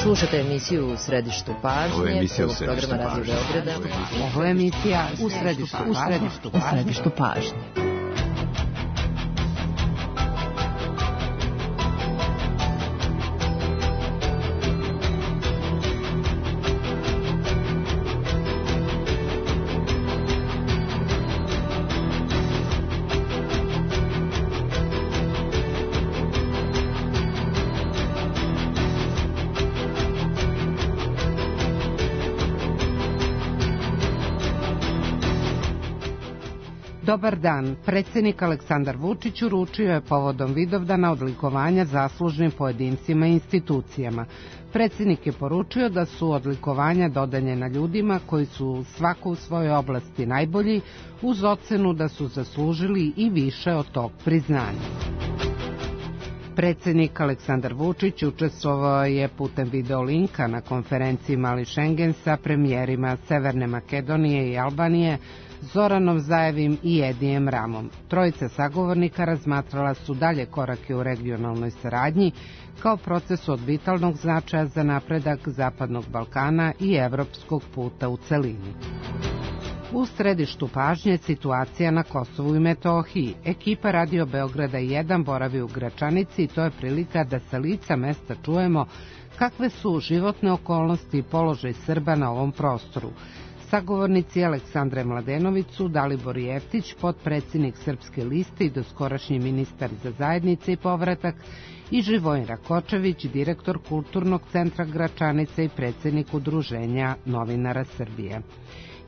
Slušate emisiju U središtu pažnje, prvog programa Radio Beograda. Ovo je emisija U središtu pažnje. Dobar dan. Predsjednik Aleksandar Vučić uručio je povodom Vidovdana odlikovanja zaslužnim pojedincima i institucijama. Predsjednik je poručio da su odlikovanja dodeljena ljudima koji su svako u svojoj oblasti najbolji, uz ocenu da su zaslužili i više od tog priznanja. Predsjednik Aleksandar Vučić učestvovao je putem videolinka na konferenciji Mali Šengen sa premijerima Severne Makedonije i Albanije, Zoranom Zajevim i Edijem Ramom. Trojica sagovornika razmatrala su dalje korake u regionalnoj saradnji kao proces od vitalnog značaja za napredak Zapadnog Balkana i evropskog puta u celini. U središtu pažnje situacija na Kosovu i Metohiji. Ekipa Radio Beograda 1 boravi u Gračanici i to je prilika da sa lica mesta čujemo kakve su životne okolnosti i položaj Srba na ovom prostoru. Sagovornici Aleksandre Mladenović su Dalibor Jeftić, potpredsjednik Srpske liste i doskorašnji ministar za zajednice i povratak, i Živojin Rakočević, direktor Kulturnog centra Gračanice i predsjednik Udruženja novinara Srbije.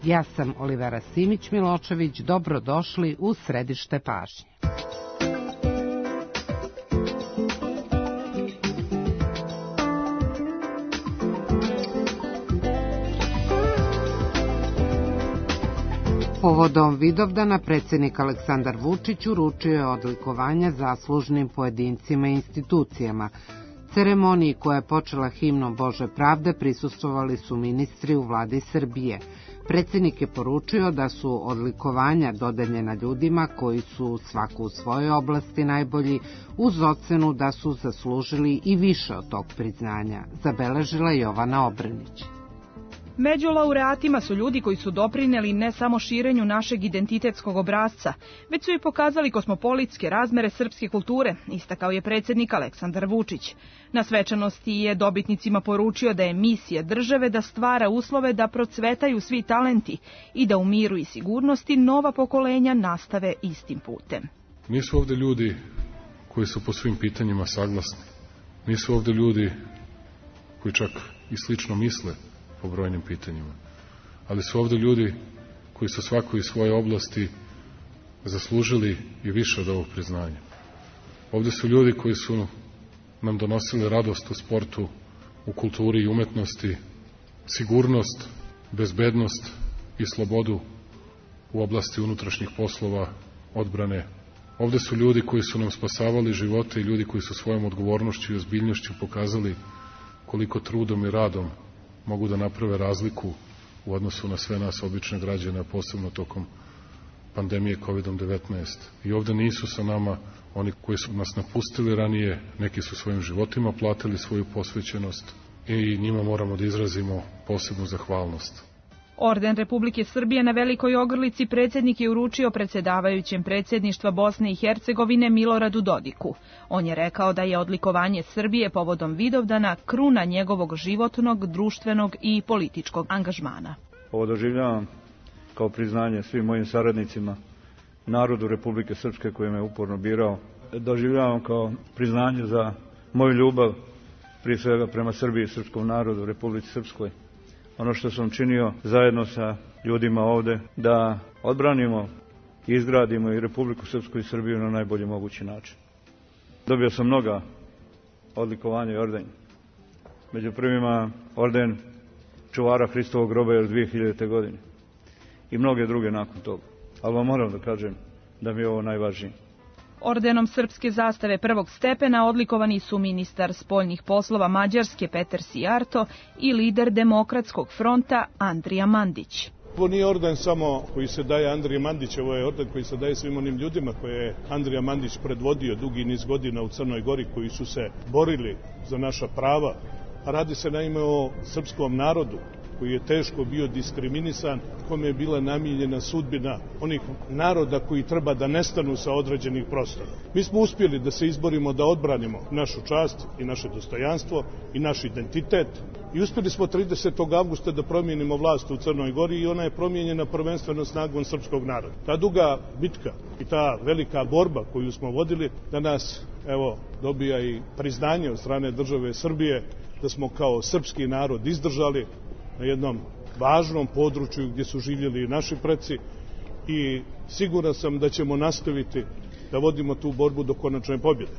Ja sam Olivera Simić-Miločević, dobrodošli u središte pažnje. Povodom Vidovdana predsjednik Aleksandar Vučić uručio je odlikovanja zaslužnim pojedincima i institucijama. Ceremoniji koja je počela himnom Bože pravde prisustvovali su ministri u vladi Srbije. Predsjednik je poručio da su odlikovanja dodeljena ljudima koji su svako u svojoj oblasti najbolji, uz ocenu da su zaslužili i više od tog priznanja, zabeležila Jovana Obrenić. Među laureatima su ljudi koji su doprineli ne samo širenju našeg identitetskog obrasca, već su i pokazali kosmopolitske razmere srpske kulture, istakao je predsjednik Aleksandar Vučić. Na svečanosti je dobitnicima poručio da je misija države da stvara uslove da procvetaju svi talenti i da u miru i sigurnosti nova pokolenja nastave istim putem. Nisu ovdje ljudi koji su po svim pitanjima saglasni. Nisu ovdje ljudi koji čak i slično misle po brojnim pitanjima. Ali su ovdje ljudi koji su svako iz svoje oblasti zaslužili i više od ovog priznanja. Ovdje su ljudi koji su nam donosili radost u sportu, u kulturi i umetnosti, sigurnost, bezbednost i slobodu u oblasti unutrašnjih poslova, odbrane. Ovdje su ljudi koji su nam spasavali živote i ljudi koji su svojom odgovornošću i ozbiljnošću pokazali koliko trudom i radom mogu da naprave razliku u odnosu na sve nas obične građane, posebno tokom pandemije COVID-19. I ovdje nisu sa nama oni koji su nas napustili ranije, neki su svojim životima platili svoju posvećenost i njima moramo da izrazimo posebnu zahvalnost. Orden Republike Srbije na Velikoj Ogrlici predsjednik je uručio predsjedavajućem predsjedništva Bosne i Hercegovine Miloradu Dodiku. On je rekao da je odlikovanje Srbije povodom Vidovdana kruna njegovog životnog, društvenog i političkog angažmana. Ovo doživljavam kao priznanje svim mojim saradnicima, narodu Republike Srpske koji me uporno birao. Doživljavam kao priznanje za moju ljubav, prije svega prema Srbiji i srpskom narodu, Republici Srpskoj. Ono što sam činio zajedno sa ljudima ovde, da odbranimo i izgradimo i Republiku Srpsku i Srbiju na najbolji mogući način. Dobio sam mnoga odlikovanja i ordenja. Među prvima orden čuvara Hristovog groba još 2000. godine i mnoge druge nakon toga. Ali vam moram da kažem da mi je ovo najvažnije. Ordenom srpske zastave prvog stepena odlikovani su ministar spoljnih poslova Mađarske Peter Sijarto i lider Demokratskog fronta Andrija Mandić. Ovo nije orden samo koji se daje Andriji Mandić, ovo je orden koji se daje svim onim ljudima koje je Andrija Mandić predvodio dugi niz godina u Crnoj Gori, koji su se borili za naša prava, Radi se naime o srpskom narodu koji je teško bio diskriminisan, kome je bila namijenjena sudbina onih naroda koji treba da nestanu sa određenih prostora. Mi smo uspjeli da se izborimo da odbranimo našu čast i naše dostojanstvo i naš identitet i uspjeli smo 30. avgusta da promijenimo vlast u Crnoj Gori i ona je promijenjena prvenstveno snagom srpskog naroda. Ta duga bitka i ta velika borba koju smo vodili danas dobija i priznanje od strane države Srbije da smo kao srpski narod izdržali na jednom važnom području gdje su živjeli i naši preci i siguran sam da ćemo nastaviti da vodimo tu borbu do konačne pobjede.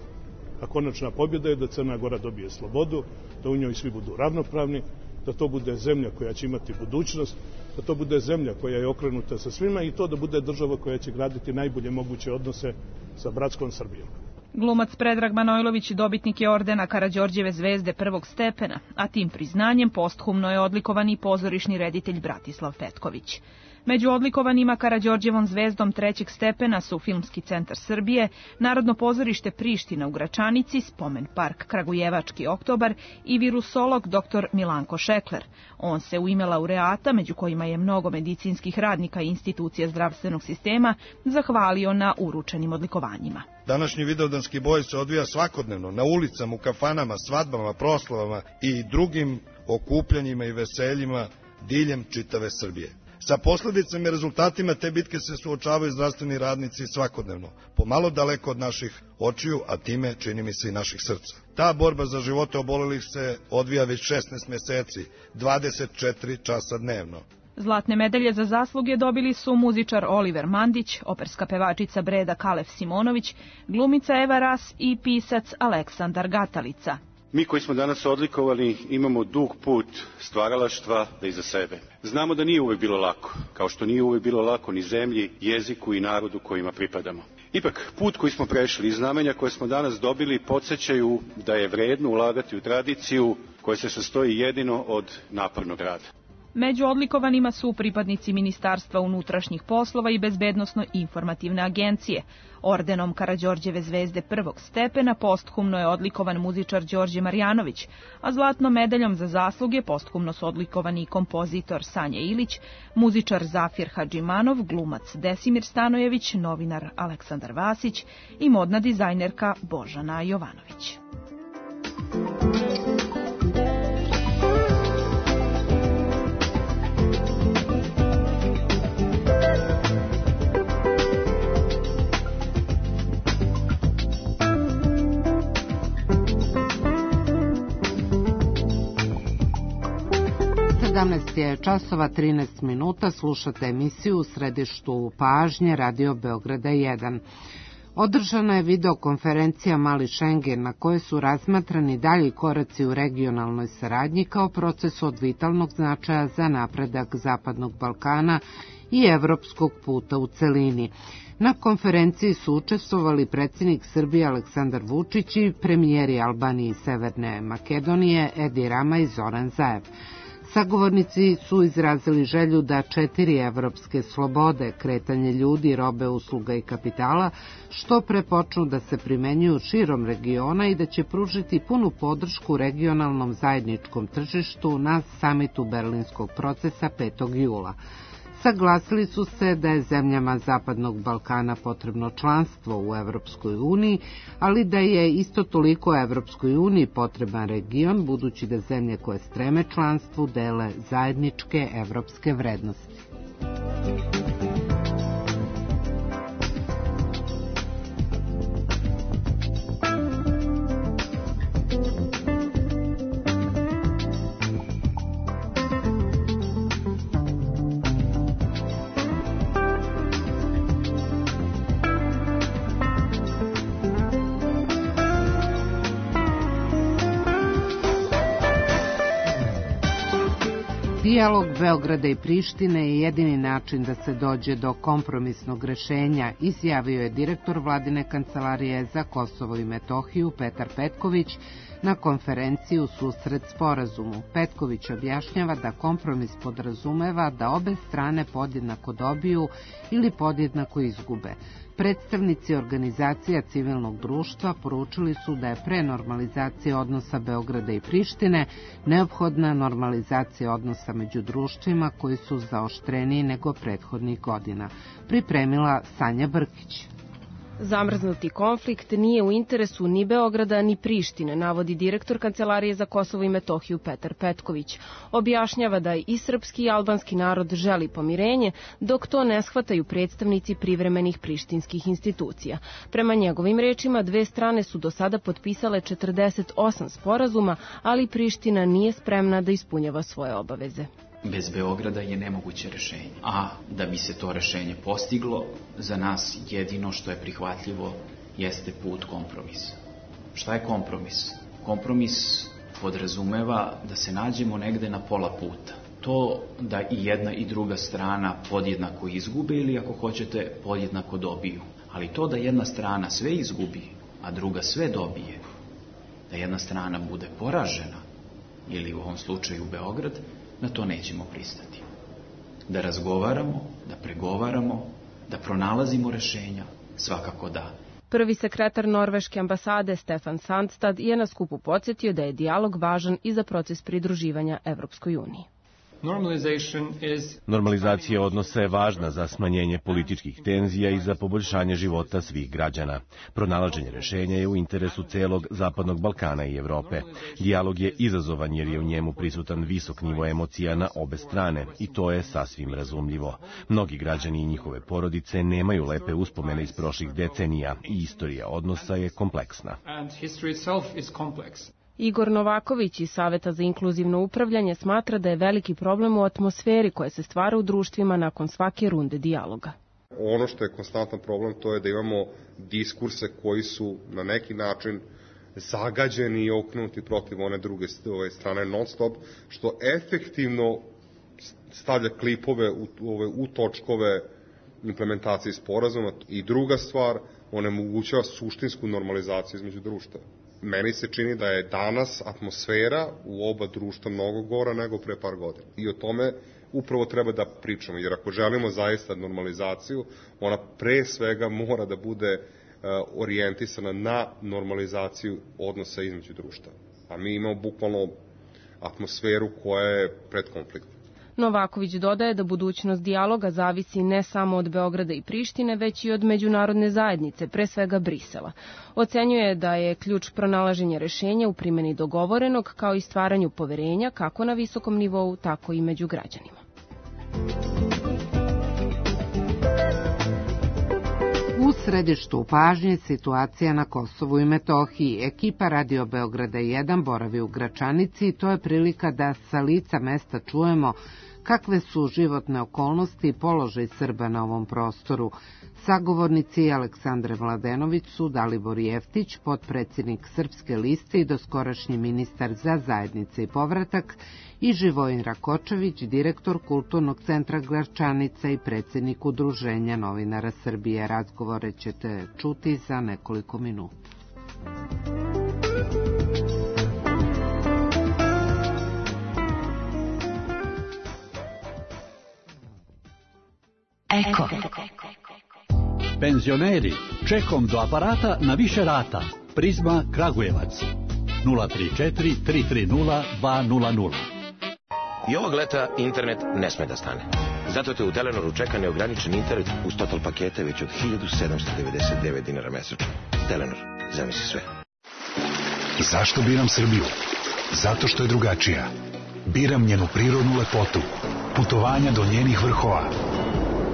A konačna pobjeda je da Crna Gora dobije slobodu, da u njoj svi budu ravnopravni, da to bude zemlja koja će imati budućnost, da to bude zemlja koja je okrenuta sa svima i to da bude država koja će graditi najbolje moguće odnose sa bratskom Srbijom. Glumac Predrag Manojlović dobitnik je ordena Karađorđeve zvezde prvog stepena, a tim priznanjem posthumno je odlikovan i pozorišni reditelj Bratislav Petković. Među odlikovanima Karađorđevom zvezdom trećeg stepena su Filmski centar Srbije, Narodno pozorište Priština u Gračanici, Spomen park Kragujevački oktobar i virusolog dr. Milanko Šekler. On se u ime laureata, među kojima je mnogo medicinskih radnika i institucija zdravstvenog sistema, zahvalio na uručenim odlikovanjima. Današnji vidovdanski boj se odvija svakodnevno na ulicama, u kafanama, svadbama, proslavama i drugim okupljanjima i veseljima diljem čitave Srbije. Sa posljedicama i rezultatima te bitke se suočavaju zdravstveni radnici svakodnevno, pomalo daleko od naših očiju, a time čini mi se i naših srca. Ta borba za živote obolelih se odvija već 16 meseci, 24 časa dnevno. Zlatne medalje za zasluge dobili su muzičar Oliver Mandić, operska pevačica Breda Kalef Simonović, glumica Eva Ras i pisac Aleksandar Gatalica. Mi koji smo danas odlikovani imamo dug put stvaralaštva da iza sebe. Znamo da nije uvijek bilo lako, kao što nije uvijek bilo lako ni zemlji, jeziku i narodu kojima pripadamo. Ipak, put koji smo prešli i znamenja koje smo danas dobili podsjećaju da je vredno ulagati u tradiciju koja se sastoji jedino od napornog rada. Među odlikovanima su pripadnici Ministarstva unutrašnjih poslova i Bezbednosno-informativne agencije. Ordenom Karađorđeve zvezde prvog stepena posthumno je odlikovan muzičar Đorđe Marjanović, a zlatnom medaljom za zasluge posthumno su odlikovani i kompozitor Sanja Ilić, muzičar Zafir Hadžimanov, glumac Desimir Stanojević, novinar Aleksandar Vasić i modna dizajnerka Božana Jovanović. Je časova 13 minuta, slušate emisiju u središtu pažnje Radio Beograda 1. Održana je videokonferencija Mali Šengen na kojoj su razmatrani dalji koraci u regionalnoj saradnji kao procesu od vitalnog značaja za napredak Zapadnog Balkana i evropskog puta u celini. Na konferenciji su učestvovali predsjednik Srbije Aleksandar Vučić i premijeri Albanije i Severne Makedonije Edi Rama i Zoran Zaev. Sagovornici su izrazili želju da 4 evropske slobode, kretanje ljudi, robe, usluga i kapitala, što pre počnu da se primenjuju širom regiona i da će pružiti punu podršku regionalnom zajedničkom tržištu na samitu Berlinskog procesa 5. jula. Saglasili su se da je zemljama Zapadnog Balkana potrebno članstvo u Evropskoj uniji, ali da je isto toliko Evropskoj uniji potreban region, budući da zemlje koje streme članstvu dele zajedničke evropske vrednosti. Dijalog Beograda i Prištine je jedini način da se dođe do kompromisnog rešenja, izjavio je direktor Vladine kancelarije za Kosovo i Metohiju Petar Petković na konferenciji u susret sporazumu. Petković objašnjava da kompromis podrazumeva da obe strane podjednako dobiju ili podjednako izgube. Predstavnici organizacija civilnog društva poručili su da je pre normalizacije odnosa Beograda i Prištine neophodna normalizacija odnosa među društvima koji su zaoštreniji nego prethodnih godina. Pripremila Sanja Brkić. Zamrznuti konflikt nije u interesu ni Beograda ni Prištine, navodi direktor Kancelarije za Kosovo i Metohiju Petar Petković. Objašnjava da i srpski i albanski narod želi pomirenje, dok to ne shvataju predstavnici privremenih prištinskih institucija. Prema njegovim rečima, dve strane su do sada potpisale 48 sporazuma, ali Priština nije spremna da ispunjava svoje obaveze. Bez Beograda je nemoguće rešenje. A da bi se to rešenje postiglo, za nas jedino što je prihvatljivo jeste put kompromisa. Šta je kompromis? Kompromis podrazumeva da se nađemo negde na pola puta. To da i jedna i druga strana podjednako izgube ili, ako hoćete, podjednako dobiju. Ali to da jedna strana sve izgubi, a druga sve dobije, da jedna strana bude poražena, ili u ovom slučaju Beograd, na to nećemo pristati. Da razgovaramo, da pregovaramo, da pronalazimo rešenja, svakako da. Prvi sekretar Norveške ambasade Stefan Sandstad je na skupu podsjetio da je dijalog važan i za proces pridruživanja Evropskoj uniji. Normalizacija odnosa je važna za smanjenje političkih tenzija i za poboljšanje života svih građana. Pronalaženje rešenja je u interesu celog Zapadnog Balkana i Evrope. Dijalog je izazovan jer je u njemu prisutan visok nivo emocija na obe strane i to je sasvim razumljivo. Mnogi građani i njihove porodice nemaju lepe uspomene iz prošlih decenija i istorija odnosa je kompleksna. Igor Novaković iz Saveta za inkluzivno upravljanje smatra da je veliki problem u atmosferi koja se stvara u društvima nakon svake runde dijaloga. Ono što je konstantan problem to je da imamo diskurse koji su na neki način zagađeni i okrenuti protiv one druge strane non stop, što efektivno stavlja klipove u točkove implementacije sporazuma. I druga stvar, onemogućava suštinsku normalizaciju između društva. Meni se čini da je danas atmosfera u oba društva mnogo gora nego pre par godina. I o tome upravo treba da pričamo, jer ako želimo zaista normalizaciju, ona pre svega mora da bude orijentisana na normalizaciju odnosa između društva. A mi imamo bukvalno atmosferu koja je pred konfliktom. Novaković dodaje da budućnost dijaloga zavisi ne samo od Beograda i Prištine, već i od međunarodne zajednice, pre svega Brisela. Ocenjuje da je ključ pronalaženja rešenja u primjeni dogovorenog, kao i stvaranju poverenja kako na visokom nivou, tako i među građanima. U središtu pažnje situacija na Kosovu i Metohiji. Ekipa Radio Beograda 1 boravi u Gračanici i to je prilika da sa lica mesta čujemo kakve su životne okolnosti i položaj Srba na ovom prostoru. Sagovornici Aleksandre Mladenović su Dalibor Jeftić, potpredsjednik Srpske liste i doskorašnji ministar za zajednice i povratak, i Živojin Rakočević, direktor Kulturnog centra Gračanica i predsjednik Udruženja novinara Srbije. Razgovore ćete čuti za nekoliko minuta. Eko. Penzioneri, čekom do aparata na više rata. Prizma Kragujevac 034 330 200. I ovog leta internet ne sme da stane. Zato te u Telenoru čeka neograničen internet uz total pakete već od 1799 dinara mesečno. Telenor, zamisli sve. Zašto biram Srbiju? Zato što je drugačija. Biram njenu prirodnu lepotu, putovanja do njenih vrhova,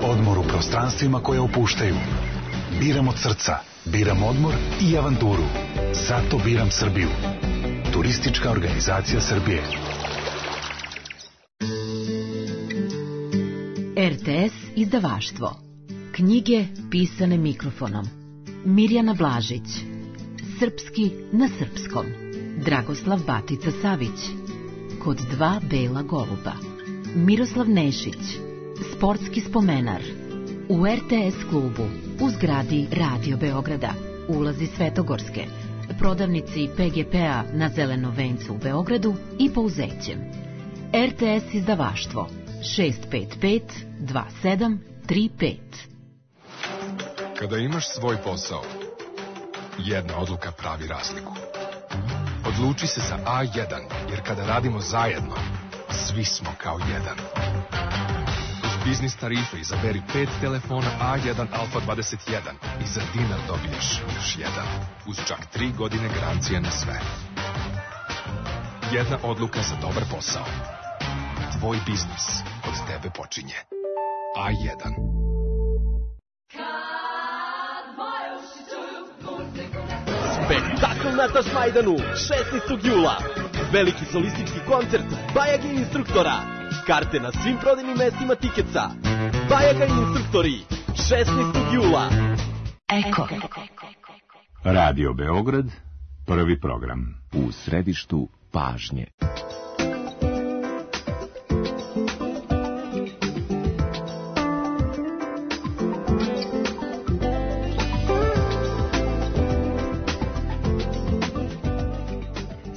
odmor u prostranstvima koje opuštaju. Biram od srca, biram odmor i avanturu. Zato biram Srbiju. Turistička organizacija Srbije. RTS izdavaštvo. Knjige pisane mikrofonom. Mirjana Blažić. Srpski na srpskom. Dragoslav Batica Savić. Kod dva bela goluba. Miroslav Nešić. Sportski spomenar. U RTS klubu, u zgradi Radio Beograda, ulazi Svetogorske, prodavnici PGP-a na Zelenom vencu u Beogradu i Pouzećem. RTS izdavaštvo 655 2735. Kada imaš svoj posao, jedna odluka pravi razliku. Odluči se za A1, jer kada radimo zajedno, svi smo kao jedan. Uz biznis tarife izaberi 5 telefona A1 Alfa 21 i za dinar dobiješ još jedan. Uz čak 3 godine garancije na sve. Jedna odluka za dobar posao. Tvoj biznis od tebe počinje. A1. Spektakl na Tašmajdanu, 16. jula. Veliki solistički koncert Bajaga i instruktora. Karte na svim prodajnim mestima Tiketsa. Bajaga i instruktori, 16. jula. Eko. Radio Beograd, prvi program. U središtu pažnje.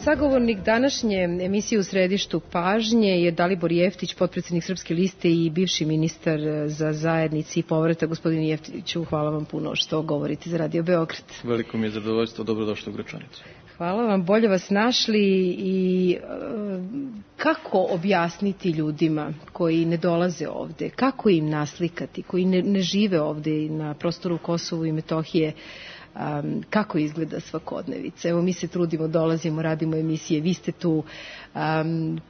Sagovornik današnje emisije U središtu pažnje je Dalibor Jeftić, potpredsjednik Srpske liste i bivši ministar za zajednici i povratak. Gospodine Jeftiću, hvala vam puno što govorite za Radio Beograd. Veliko mi je zadovoljstvo, dobrodošli u Gračanicu. Hvala vam, bolje vas našli. I kako objasniti ljudima koji ne dolaze ovde, kako im naslikati, koji ne žive ovde na prostoru Kosovo i Metohije, kako izgleda svakodnevica? Evo, mi se trudimo, dolazimo, radimo emisije, vi ste tu,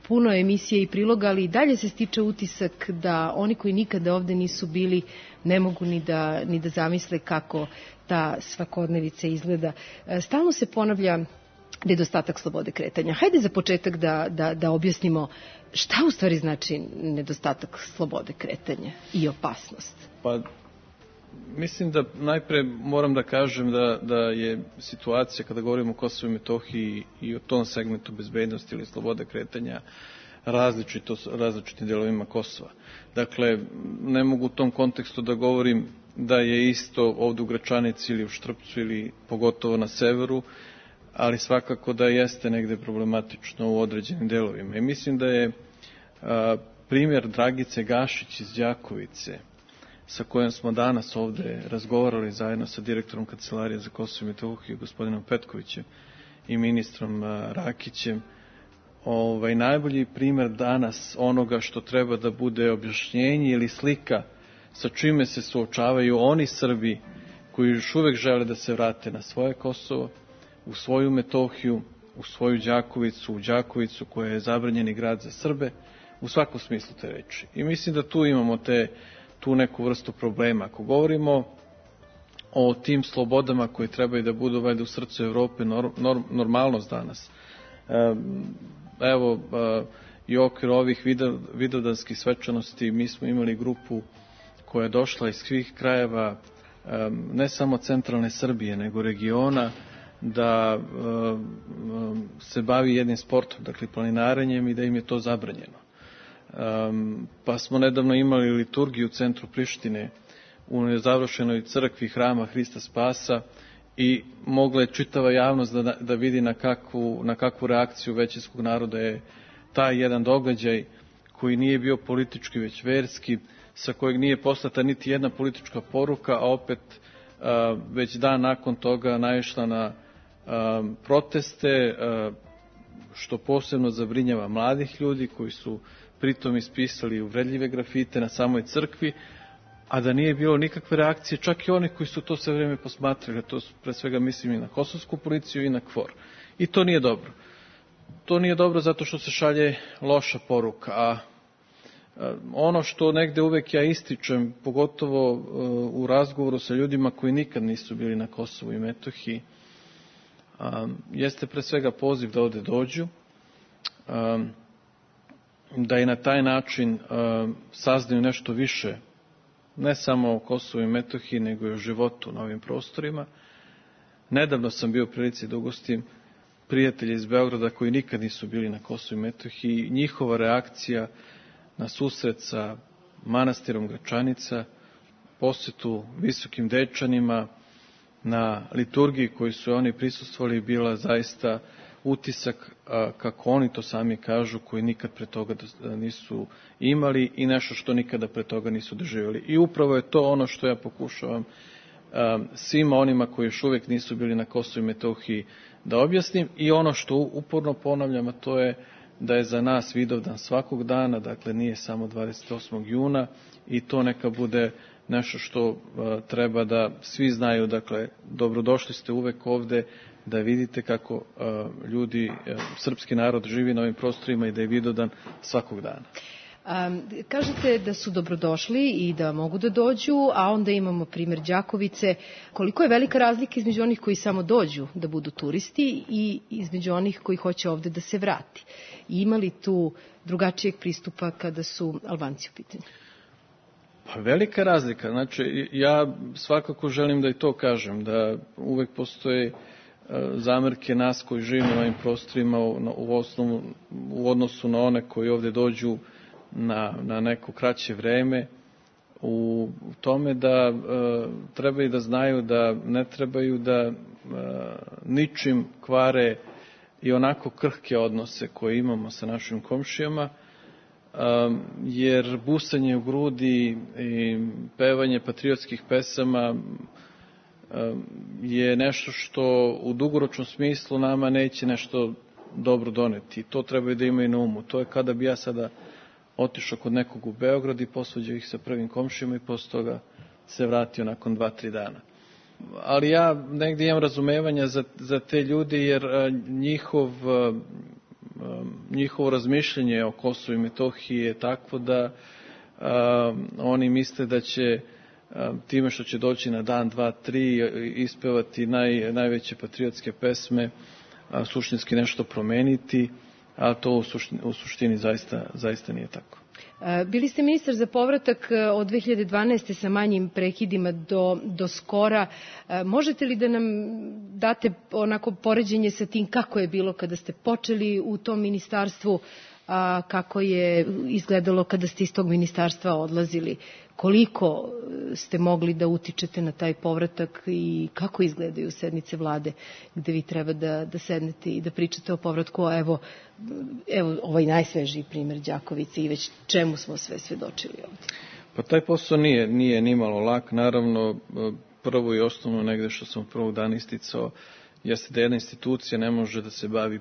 puno emisije i priloga, ali i dalje se stiče utisak da oni koji nikada ovde nisu bili ne mogu ni da zamisle kako ta svakodnevica izgleda. Stalno se ponavlja nedostatak slobode kretanja. Hajde za početak da objasnimo šta u stvari znači nedostatak slobode kretanja i opasnost. Pa, mislim da najpre moram da kažem da je situacija kada govorimo o Kosovu i Metohiji i o tom segmentu bezbednosti ili slobode kretanja različitim delovima Kosova. Dakle, ne mogu u tom kontekstu da govorim da je isto ovdje u Gračanici ili u Štrpcu ili pogotovo na severu, ali svakako da jeste negde problematično u određenim delovima. I mislim da je primjer Dragice Gašić iz Đakovice, sa kojom smo danas ovde razgovarali zajedno sa direktorom Kancelarije za Kosovo i Metohiju, gospodinom Petkovićem i ministrom Rakićem, najbolji primjer danas onoga što treba da bude objašnjenje ili slika sa čime se suočavaju oni Srbi koji još uvek žele da se vrate na svoje Kosovo, u svoju Metohiju, u svoju Đakovicu, u Đakovicu koja je zabranjeni grad za Srbe, u svakom smislu te reči. I mislim da tu imamo tu neku vrstu problema. Ako govorimo o tim slobodama koje trebaju da budu valjda u srcu Evrope normalnost danas, evo i u okviru ovih vidovdanskih svečanosti mi smo imali grupu koja je došla iz svih krajeva, ne samo centralne Srbije, nego regiona, da se bavi jednim sportom, dakle planinarenjem, i da im je to zabranjeno. Pa smo nedavno imali liturgiju u centru Prištine u nezavršenoj crkvi hrama Hrista Spasa i mogla je čitava javnost da vidi na kakvu reakciju većinskog naroda je taj jedan događaj koji nije bio politički već verski, sa kojeg nije poslata niti jedna politička poruka, a opet već dan nakon toga naišla na proteste, što posebno zabrinjava mladih ljudi koji su pritom ispisali uvredljive grafite na samoj crkvi, a da nije bilo nikakve reakcije, čak i oni koji su to sve vrijeme posmatrali. To pre svega mislim i na kosovsku policiju i na KFOR. I to nije dobro. To nije dobro zato što se šalje loša poruka. A ono što negde uvek ja ističem, pogotovo u razgovoru sa ljudima koji nikad nisu bili na Kosovu i Metohiji, jeste pre svega poziv da ovde dođu, da i na taj način saznaju nešto više, ne samo o Kosovu i Metohiji, nego i o životu na ovim prostorima. Nedavno sam bio u prilici da ugostim prijatelje iz Beograda koji nikad nisu bili na Kosovu i Metohiji. Njihova reakcija na susret sa manastirom Gračanica, posjetu Visokim Dečanima, na liturgiji koju su oni prisustvovali, bila zaista utisak, kako oni to sami kažu, koji nikad pre toga nisu imali i nešto što nikada pre toga nisu doživjeli. I upravo je to ono što ja pokušavam svima onima koji još uvijek nisu bili na Kosovu i Metohiji da objasnim. I ono što uporno ponavljam, a to je da je za nas Vidovdan svakog dana, dakle nije samo 28. juna, i to neka bude nešto što treba da svi znaju. Dakle, dobrodošli ste uvek ovde da vidite kako ljudi, srpski narod živi na ovim prostorima i da je Vidovdan svakog dana. Kažete da su dobrodošli i da mogu da dođu, a onda imamo primjer Đakovice. Koliko je velika razlika između onih koji samo dođu da budu turisti i između onih koji hoće ovde da se vrati? I ima li tu drugačijeg pristupa kada su Albanci u pitanju? Pa velika razlika. Znači, ja svakako želim da i to kažem, da uvek postoje zamerke nas koji živimo na ovim prostorima u odnosu na one koji ovde dođu na neko kraće vreme, u tome da trebaju da znaju da ne trebaju da ničim kvare i onako krhke odnose koje imamo sa našim komšijama, jer busanje u grudi i pevanje patriotskih pesama je nešto što u dugoročnom smislu nama neće nešto dobro doneti. To trebaju da imaju na umu. To je kada bi ja sada otišao kod nekog u Beograd i posvađao ih sa prvim komšijama i posle toga se vratio nakon 2-3 dana. Ali ja negdje imam razumevanja za te ljudi, jer njihovo razmišljanje o Kosovu i Metohiji je takvo da oni misle da će time što će doći na dan, 2, 3 ispevati najveće patriotske pesme, suštinski nešto promeniti, a to u suštini zaista nije tako. Bili ste ministar za povratak od 2012. sa manjim prekidima do skora. Možete li da nam date onako poređenje sa tim kako je bilo kada ste počeli u tom ministarstvu, a kako je izgledalo kada ste iz tog ministarstva odlazili? Koliko ste mogli da utičete na taj povratak i kako izgledaju sednice vlade gde vi treba da sednete i da pričate o povratku? Evo ovaj najsvežiji primjer Đakovice i već čemu smo sve svedočili ovdje. Pa taj posao nije nimalo lak. Naravno, prvo i osnovno negde što sam prvog dana isticao jeste da jedna institucija ne može da se bavi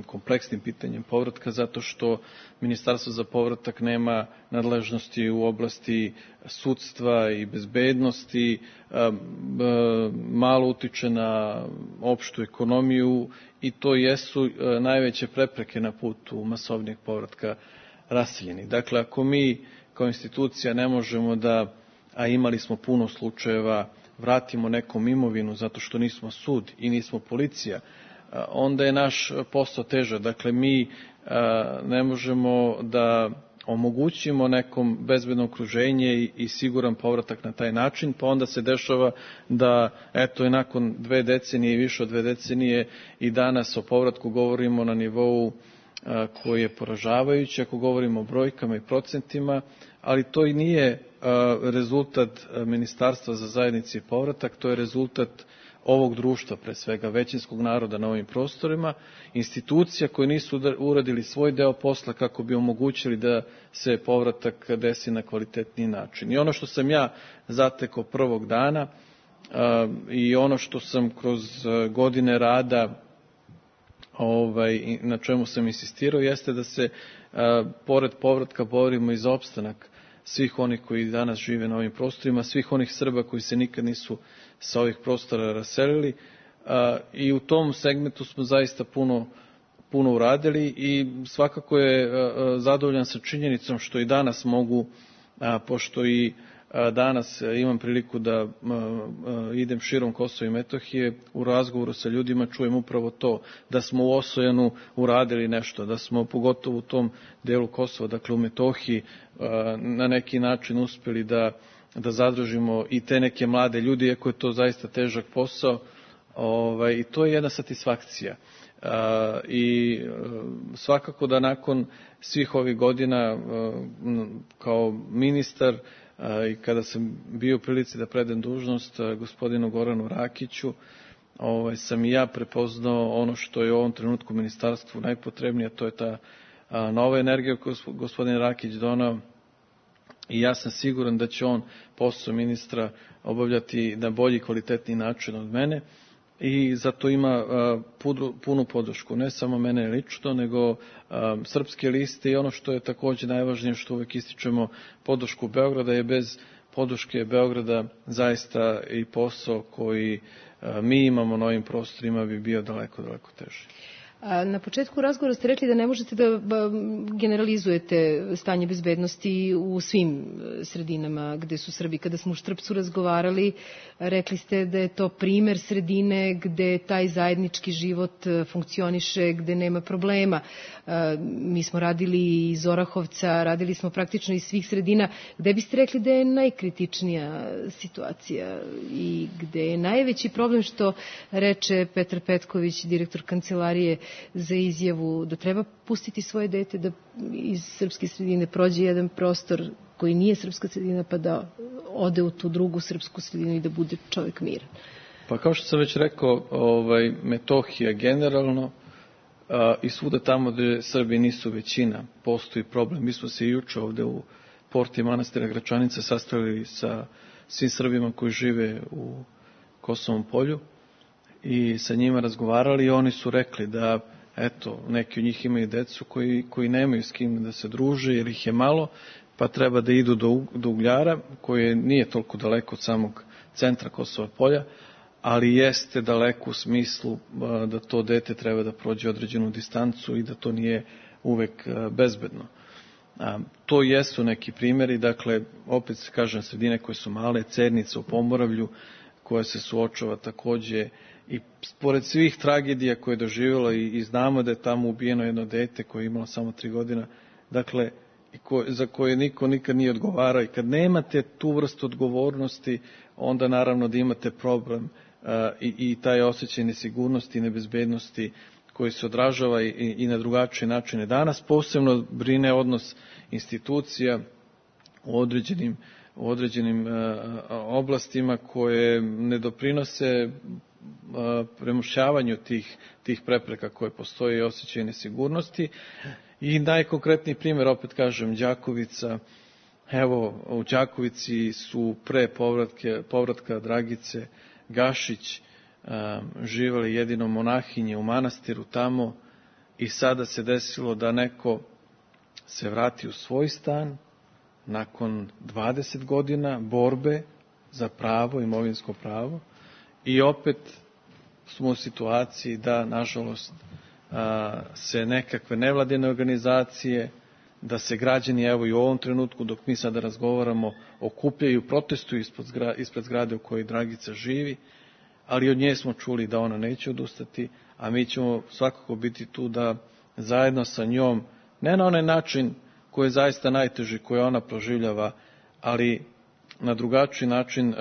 kompleksnim pitanjem povratka, zato što Ministarstvo za povratak nema nadležnosti u oblasti sudstva i bezbednosti, malo utiče na opštu ekonomiju i to jesu najveće prepreke na putu masovnijeg povratka raseljenih. Dakle, ako mi kao institucija ne možemo da, a imali smo puno slučajeva, vratimo nekom imovinu zato što nismo sud i nismo policija, onda je naš posao težak. Dakle, mi ne možemo da omogućimo nekom bezbedno okruženje i siguran povratak na taj način, pa onda se dešava da, eto, i nakon 2 decenije i više od 2 decenije i danas o povratku govorimo na nivou koji je poražavajući, ako govorimo o brojkama i procentima, ali to i nije rezultat Ministarstva za zajednice i povratak, to je rezultat ovog društva, pre svega većinskog naroda na ovim prostorima, institucija koje nisu uradili svoj deo posla kako bi omogućili da se povratak desi na kvalitetniji način. I ono što sam ja zatekao prvog dana i ono što sam kroz godine rada na čemu sam insistirao jeste da se pored povratka borimo i za opstanak svih onih koji danas žive na ovim prostorima, svih onih Srba koji se nikad nisu sa ovih prostora raselili, i u tom segmentu smo zaista puno uradili i svakako je zadovoljan sa činjenicom što i danas mogu, pošto i danas imam priliku da idem širom Kosova i Metohije, u razgovoru sa ljudima čujem upravo to, da smo u Osojanu uradili nešto, da smo pogotovo u tom delu Kosova, dakle u Metohiji, na neki način uspjeli da zadržimo i te neke mlade ljudi, iako je to zaista težak posao, i to je jedna satisfakcija. I svakako da nakon svih ovih godina kao ministar i kada sam bio u prilici da predem dužnost gospodinu Goranu Rakiću, sam i ja prepoznao ono što je u ovom trenutku ministarstvu najpotrebnije, to je ta nova energija koju gospodin Rakić donao, i ja sam siguran da će on posao ministra obavljati na bolji, kvalitetniji način od mene i zato ima punu podršku, ne samo mene lično, nego Srpske liste i ono što je također najvažnije, što uvek ističemo, podršku Beograda, je bez podrške Beograda zaista i posao koji mi imamo na ovim prostorima bi bio daleko, daleko teži. Na početku razgovora ste rekli da ne možete da generalizujete stanje bezbednosti u svim sredinama gde su Srbi. Kada smo u Štrpcu razgovarali, rekli ste da je to primer sredine gde taj zajednički život funkcioniše, gde nema problema. Mi smo radili iz Orahovca, radili smo praktično iz svih sredina. Gde biste rekli da je najkritičnija situacija i gde je najveći problem, što reče Petar Petković, direktor Kancelarije za izjavu da treba pustiti svoje dete da iz srpske sredine prođe jedan prostor koji nije srpska sredina, pa da ode u tu drugu srpsku sredinu i da bude čovjek miran? Pa kao što sam već rekao, Metohija generalno i svuda tamo gde Srbi nisu većina, postoji problem. Mi smo se juče ovde u porti manastira Gračanica sastavili sa svim Srbima koji žive u Kosovom polju i sa njima razgovarali i oni su rekli da, eto, neki od njih imaju decu koji nemaju s kim da se druže jer ih je malo, pa treba da idu do Ugljara, koje nije toliko daleko od samog centra Kosova polja, ali jeste daleko u smislu da to dete treba da prođe određenu distancu i da to nije uvek bezbedno. To jesu neki primjeri, dakle, opet se kažem, sredine koje su male, Cernica u Pomoravlju, koja se suočava takođe i pored svih tragedija koje je doživjela i znamo da je tamo ubijeno jedno dete koje je imalo samo 3 godina, dakle, za koje niko nikad nije odgovarao. I kad nemate tu vrstu odgovornosti, onda naravno da imate problem i taj osjećaj nesigurnosti i nebezbednosti koji se odražava i na drugačije načine. Danas posebno brine odnos institucija u određenim oblastima koje ne doprinose premošćavanju tih prepreka koje postoje i osjećaj nesigurnosti. I najkonkretniji primjer, opet kažem, Đakovica. Evo, u Đakovici su pre povratka Dragice Gašić živjeli jedino monahinje u manastiru tamo i sada se desilo da neko se vrati u svoj stan nakon 20 godina borbe za pravo, imovinsko pravo, i opet smo u situaciji da, nažalost, se nekakve nevladine organizacije, da se građani, evo i u ovom trenutku dok mi sada razgovaramo, okupljaju, protestuju ispred zgrade u kojoj Dragica živi, ali od nje smo čuli da ona neće odustati, a mi ćemo svakako biti tu da zajedno sa njom, ne na onaj način koji je zaista najteži, koji ona proživljava, ali na drugačiji način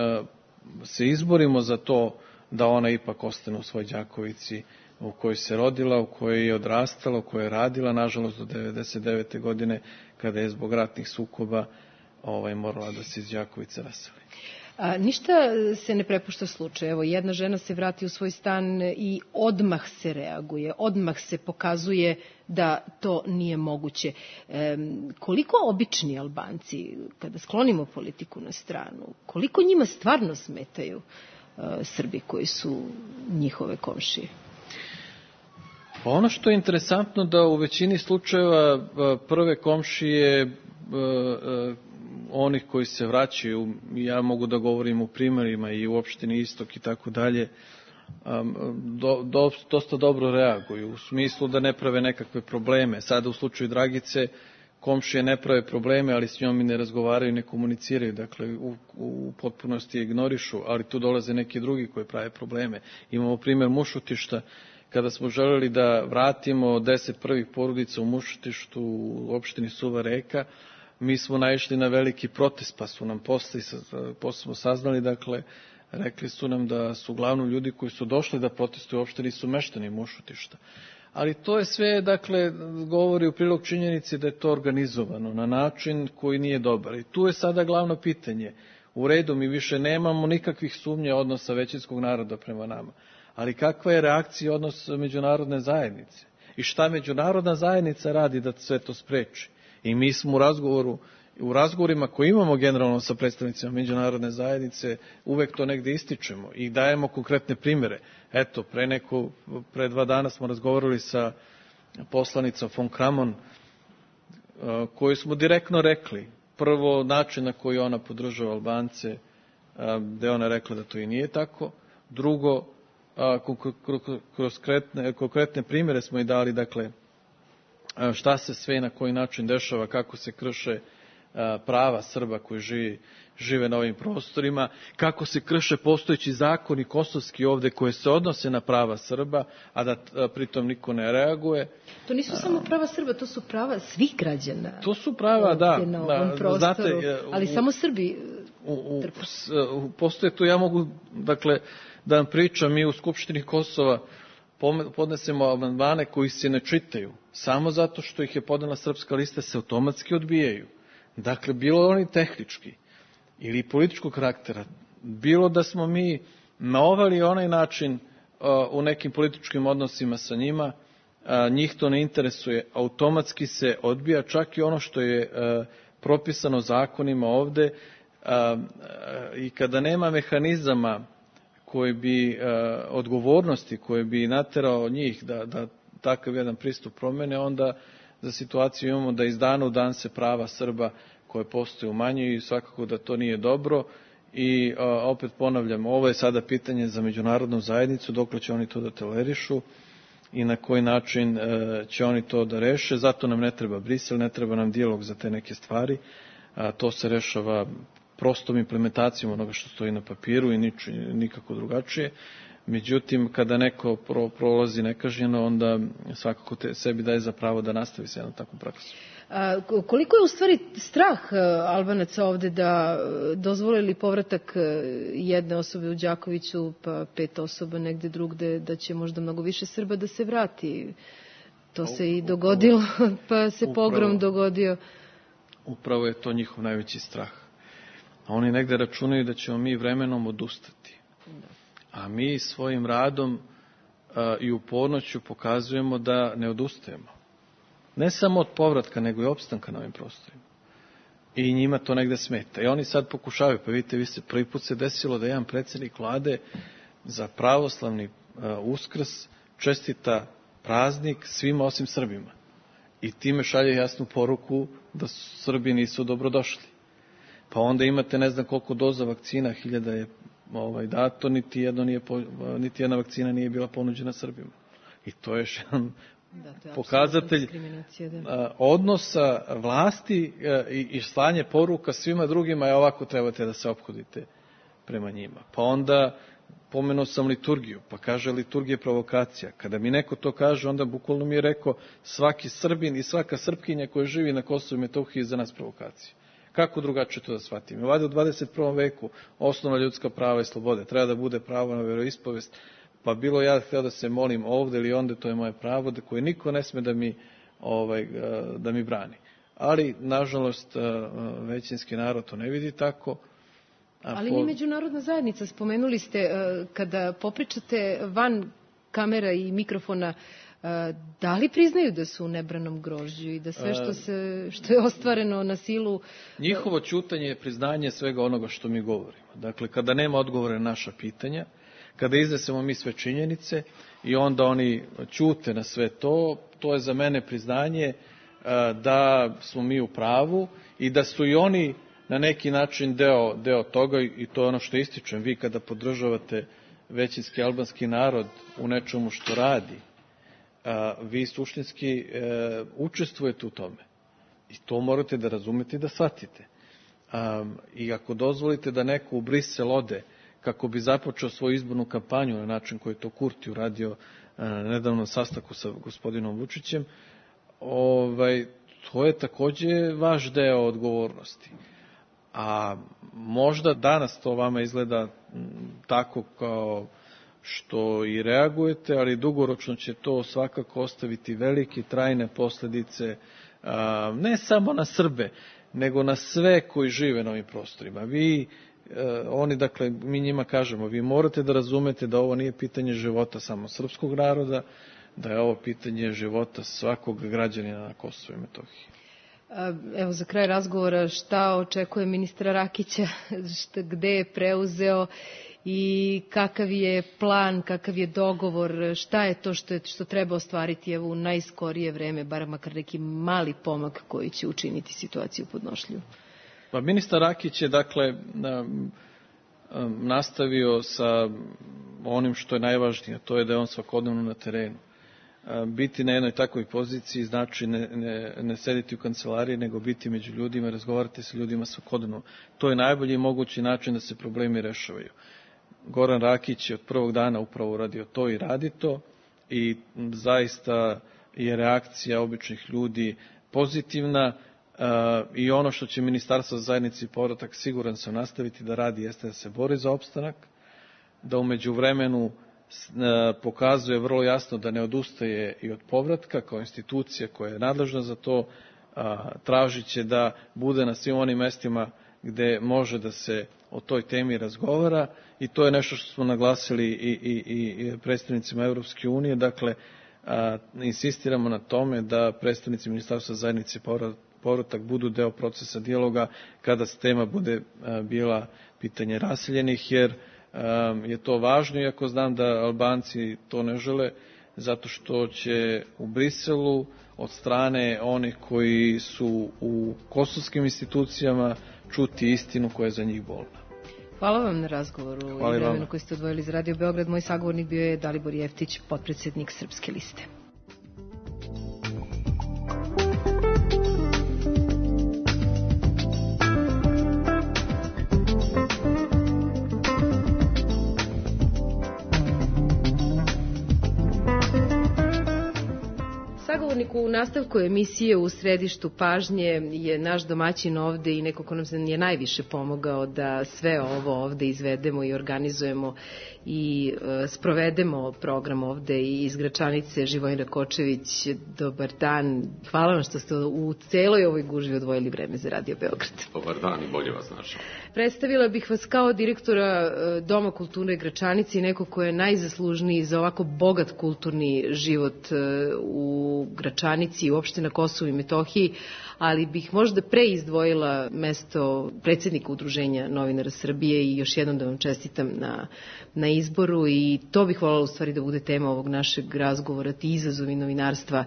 se izborimo za to da ona ipak ostane u svoj Đakovici u kojoj se rodila, u kojoj je odrastala, u kojoj je radila, nažalost do 99. godine, kada je zbog ratnih sukoba morala da se iz Đakovice raseli. Ništa se ne prepušta slučaju. Evo, jedna žena se vrati u svoj stan i odmah se reaguje, odmah se pokazuje da to nije moguće. Koliko obični Albanci, kada sklonimo politiku na stranu, koliko njima stvarno smetaju Srbi koji su njihove komšije? Pa ono što je interesantno da u većini slučajeva prve komšije onih koji se vraćaju, ja mogu da govorim u primarima i u opštini Istok i tako dalje, dosta dobro reaguju, u smislu da ne prave nekakve probleme. Sada u slučaju Dragice komšije ne prave probleme, ali s njom i ne razgovaraju, ne komuniciraju, dakle u potpunosti ignorišu, ali tu dolaze neki drugi koji prave probleme. Imamo primjer Mušutišta, kada smo želeli da vratimo 10 prvih porodica u Mušutištu u opštini Suva Reka, mi smo naišli na veliki protest, pa su nam posle smo saznali, dakle, rekli su nam da su uglavnom ljudi koji su došli da protestuju uopšte nisu meštani Mušutišta. Ali to je sve, dakle, govori u prilog činjenici da je to organizovano na način koji nije dobar. I tu je sada glavno pitanje. U redu, mi više nemamo nikakvih sumnja odnosa većinskog naroda prema nama. Ali kakva je reakcija odnos međunarodne zajednice? I šta međunarodna zajednica radi da sve to spreči? I mi smo u razgovoru u razgovorima koje imamo generalno sa predstavnicima međunarodne zajednice, uvek to negde ističemo i dajemo konkretne primere. Eto, pre 2 dana smo razgovarali sa poslanicom von Kramon, koju smo direktno rekli, prvo način na koji ona podržava Albance, gde ona rekla da to i nije tako, drugo, kroz konkretne primere smo i dali, dakle, šta se sve i na koji način dešava, kako se krše prava Srba koji žive na ovim prostorima, kako se krše postojeći zakoni kosovski ovde koje se odnose na prava Srba, a da pritom niko ne reaguje. To nisu samo prava Srba, to su prava svih građana. To su prava, da. Na ovom prostoru, znate, ali samo Srbi trpe. Postoje to, ja mogu, dakle, da vam pričam, mi u Skupštini Kosova podnesemo amandmane koji se ne čitaju, samo zato što ih je podnela Srpska lista, se automatski odbijaju. Dakle, bilo oni tehnički ili političkog karaktera, bilo da smo mi na ovaj ili onaj način u nekim političkim odnosima sa njima, njih to ne interesuje, automatski se odbija čak i ono što je propisano zakonima ovde, i kada nema mehanizama koji bi, odgovornosti koje bi naterao njih da takav jedan pristup promene, onda za situaciju imamo da iz dana u dan se prava Srba koje postoje umanjuju i svakako da to nije dobro. I opet ponavljam, ovo je sada pitanje za međunarodnu zajednicu, dokle će oni to da tolerišu i na koji način će oni to da reše. Zato nam ne treba Brisel, ne treba nam dijalog za te neke stvari. To se rešava prostom implementacijom onoga što stoji na papiru i nikako drugačije. Međutim, kada neko prolazi nekažnjeno, onda svakako sebi daje za pravo da nastavi se jednom takvom praksom. Koliko je u stvari strah Albanaca ovde da dozvolili povratak jedne osobe u Đakoviću, pa 5 osoba negde drugde, da će možda mnogo više Srba da se vrati? To se i dogodilo, pa se pogrom dogodio. Upravo je to njihov najveći strah. A oni negde računaju da ćemo mi vremenom odustati. A mi svojim radom i upornošću pokazujemo da ne odustajemo. Ne samo od povratka, nego i opstanka na ovim prostorima. I njima to negde smeta. I oni sad pokušavaju, pa vidite, prvi put se desilo da jedan predsjednik vlade za pravoslavni Uskrs čestita praznik svima osim Srbima. I time šalje jasnu poruku da Srbi nisu dobrodošli. Pa onda imate ne znam koliko doza vakcina, 1000 je dato, niti jedna vakcina nije bila ponuđena Srbima. I to je još jedan pokazatelj odnosa vlasti i slanje poruka svima drugima, ovako trebate da se ophodite prema njima. Pa onda pomenuo sam liturgiju, pa kaže liturgija je provokacija. Kada mi neko to kaže, onda bukvalno mi je rekao svaki Srbin i svaka Srpkinja koja živi na Kosovu i Metohiji je za nas provokacija. Kako drugačije to da shvatim? Ovdje u 21. veku osnovna ljudska prava i slobode treba da bude pravo na veroispovest, pa bilo ja htio da se molim ovde ili onde, to je moje pravo, da koje niko ne sme da mi brani. Ali, nažalost, većinski narod to ne vidi tako. Ali ni međunarodna zajednica, spomenuli ste, kada popričate van kamera i mikrofona, da li priznaju da su u nebranom grožđu i da sve što je ostvareno na silu... Njihovo ćutanje je priznanje svega onoga što mi govorimo. Dakle, kada nema odgovora na naša pitanja, kada iznesemo mi sve činjenice i onda oni ćute na sve to, to je za mene priznanje da smo mi u pravu i da su i oni na neki način deo toga i to je ono što ističem. Vi kada podržavate većinski albanski narod u nečemu što radi, vi suštinski učestvujete u tome. I to morate da razumete i da shvatite. I ako dozvolite da neko u Brisel ode kako bi započeo svoju izbornu kampanju na način koji je to Kurti uradio na nedavnom sastanku sa gospodinom Vučićem, to je takođe vaš deo odgovornosti. A možda danas to vama izgleda tako kao što i reagujete, ali dugoročno će to svakako ostaviti velike trajne posledice, ne samo na Srbe, nego na sve koji žive na ovim prostorima. Dakle, mi njima kažemo, vi morate da razumete da ovo nije pitanje života samo srpskog naroda, da je ovo pitanje života svakog građanina na Kosovu i Metohiji. Evo za kraj razgovora, šta očekuje ministra Rakića, gde je preuzeo i kakav je plan, kakav je dogovor, šta je to što treba ostvariti evo u najskorije vreme, bar makar neki mali pomak koji će učiniti situaciju podnošljivu? Pa ministar Rakić je dakle nastavio sa onim što je najvažnije, to je da je on svakodnevno na terenu. Biti na jednoj takvoj poziciji znači ne sediti u kancelariji, nego biti među ljudima, razgovarati sa ljudima svakodnevno. To je najbolji mogući način da se problemi rešavaju. Goran Rakić je od prvog dana upravo uradio to i radi to i zaista je reakcija običnih ljudi pozitivna i ono što će Ministarstvo za zajednicu i povratak siguran sam nastaviti da radi jeste da se bori za opstanak, da u međuvremenu pokazuje vrlo jasno da ne odustaje i od povratka kao institucija koja je nadležna za to, tražit će da bude na svim onim mestima gde može da se o toj temi razgovara i to je nešto što smo naglasili i predstavnicima Evropske unije. Dakle, insistiramo na tome da predstavnici Ministarstva zajednice i povratak budu deo procesa dijaloga kada tema bude bila pitanje raseljenih, jer je to važno, iako znam da Albanci to ne žele, zato što će u Briselu od strane onih koji su u kosovskim institucijama čuti istinu koja je za njih bolna. Hvala vam na razgovoru i vremenu koji ste odvojili za Radio Beograd. Moj sagovornik bio je Dalibor Jeftić, potpredsednik Srpske liste. U nastavku emisije U središtu pažnje je naš domaćin ovde i neko ko nam je najviše pomogao da sve ovo ovde izvedemo i organizujemo i sprovedemo program ovde i iz Gračanice. Živojin Rakočević, dobar dan. Hvala vam što ste u celoj ovoj gužvi odvojili vreme za Radio Beograd. Dobar dan i bolje vas našao. Predstavila bih vas kao direktora Doma kulture Gračanice i neko ko je najzaslužniji za ovako bogat kulturni život u Gračanici i uopšte na Kosovu i Metohiji, ali bih možda pre izdvojila mesto predsjednika Udruženja novinara Srbije i još jednom da vam čestitam na izboru i to bih voljela u stvari da bude tema ovog našeg razgovora, ti izazovi novinarstva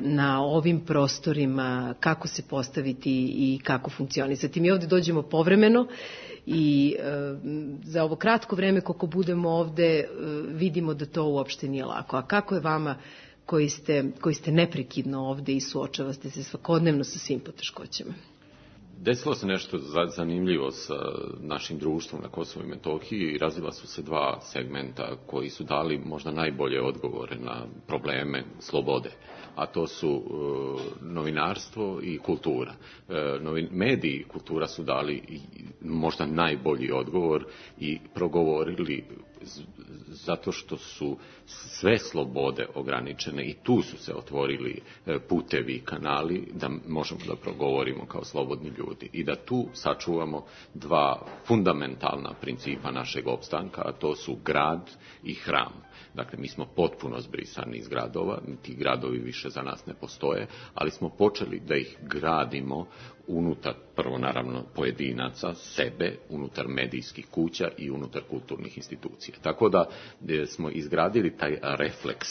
na ovim prostorima, kako se postaviti i kako funkcionisati. Mi ovde dođemo povremeno i za ovo kratko vreme koliko budemo ovde vidimo da to uopšte nije lako. A kako je vama koji ste neprekidno ovde i suočavate se svakodnevno sa svim poteškoćama? Desilo se nešto zanimljivo sa našim društvom na Kosovu i Metohiji i razvila su se dva segmenta koji su dali možda najbolje odgovore na probleme slobode, a to su novinarstvo i kultura. Mediji i kultura su dali možda najbolji odgovor i progovorili zato što su sve slobode ograničene i tu su se otvorili putevi i kanali da možemo da progovorimo kao slobodni ljudi i da tu sačuvamo dva fundamentalna principa našeg opstanka, a to su grad i hram. Dakle, mi smo potpuno zbrisani iz gradova, ti gradovi više za nas ne postoje, ali smo počeli da ih gradimo unutar, prvo naravno pojedinaca, sebe, unutar medijskih kuća i unutar kulturnih institucija. Tako da smo izgradili taj refleks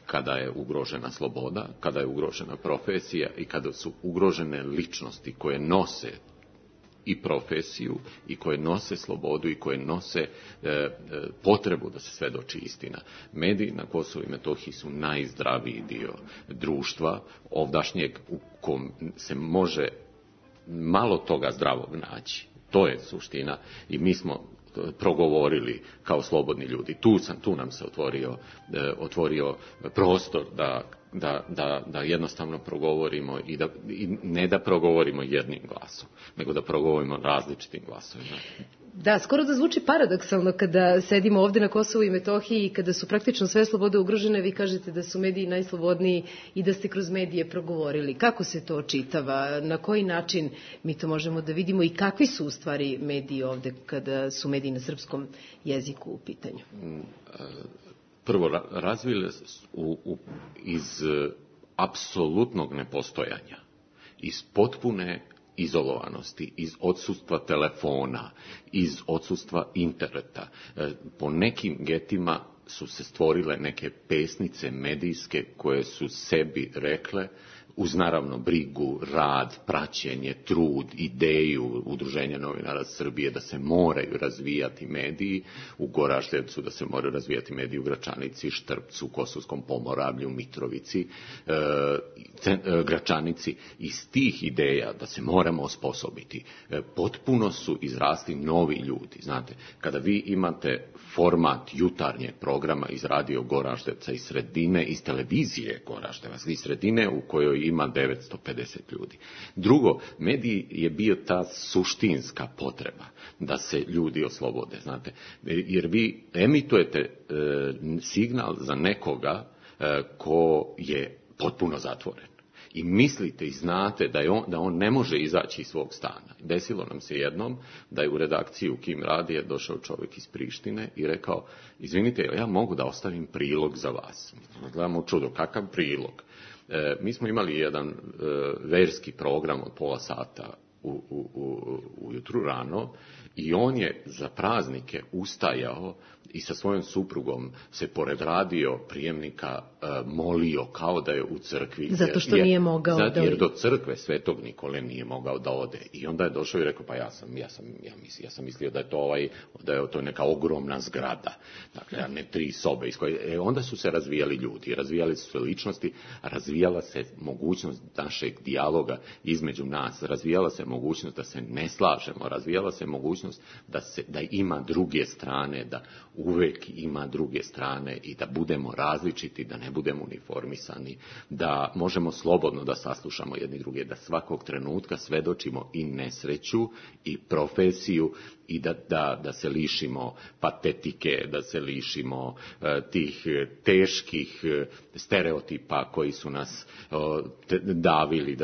kada je ugrožena sloboda, kada je ugrožena profesija i kada su ugrožene ličnosti koje nose i profesiju i koje nose slobodu i koje nose potrebu da se svedoči istina. Mediji na Kosovu i Metohiji su najzdraviji dio društva ovdašnjeg u kom se može malo toga zdravog naći. To je suština i mi smo progovorili kao slobodni ljudi. Tu nam se otvorio prostor da jednostavno progovorimo i ne da progovorimo jednim glasom, nego da progovorimo različitim glasovima. Da, skoro da zvuči paradoksalno kada sedimo ovde na Kosovu i Metohiji i kada su praktično sve slobode ugrožene, vi kažete da su mediji najslobodniji i da ste kroz medije progovorili. Kako se to očitava? Na koji način mi to možemo da vidimo i kakvi su u stvari mediji ovde kada su mediji na srpskom jeziku u pitanju? Prvo, razvile iz apsolutnog nepostojanja iz potpune izolovanosti, iz odsustva telefona, iz odsustva interneta. Po nekim getima su se stvorile neke pesnice medijske koje su sebi rekle, uz naravno brigu, rad, praćenje, trud, ideju Udruženja novinara Srbije da se moraju razvijati mediji, u Goraždevcu da se moraju razvijati mediji u Gračanici, Štrpcu, Kosovskom Pomoravlju, Mitrovici, Gračanici. Iz tih ideja da se moramo osposobiti, potpuno su izrasli novi ljudi. Znate, kada vi imate format jutarnjeg programa iz radio Goraždevca, iz sredine, iz televizije Goraždevac, iz sredine u kojoj ima 950 ljudi. Drugo, medij je bio ta suštinska potreba da se ljudi oslobode, znate, jer vi emitujete signal za nekoga ko je potpuno zatvoren. I mislite i znate da on ne može izaći iz svog stana. Desilo nam se jednom da je u redakciju Kim radije došao čovjek iz Prištine i rekao, izvinite, ja mogu da ostavim prilog za vas. Gledamo čudo, kakav prilog? Mi smo imali jedan verski program od pola sata ujutru rano i on je za praznike ustajao i sa svojom suprugom se pored radio prijemnika molio kao da je u crkvi. Zato što nije mogao da... Jer do crkve Svetog Nikole nije mogao da ode. I onda je došao i rekao, pa ja sam mislio da je to neka ogromna zgrada. Dakle, ne 3 sobe. Onda su se razvijali ljudi, razvijali su se ličnosti, razvijala se mogućnost našeg dijaloga između nas, razvijala se mogućnost da se ne slažemo, razvijala se mogućnost da ima druge strane, da uvek ima druge strane i da budemo različiti, da ne budemo uniformisani, da možemo slobodno da saslušamo jedni druge, da svakog trenutka svedočimo i nesreću i profesiju i da se lišimo patetike, da se lišimo tih teških stereotipa koji su nas davili,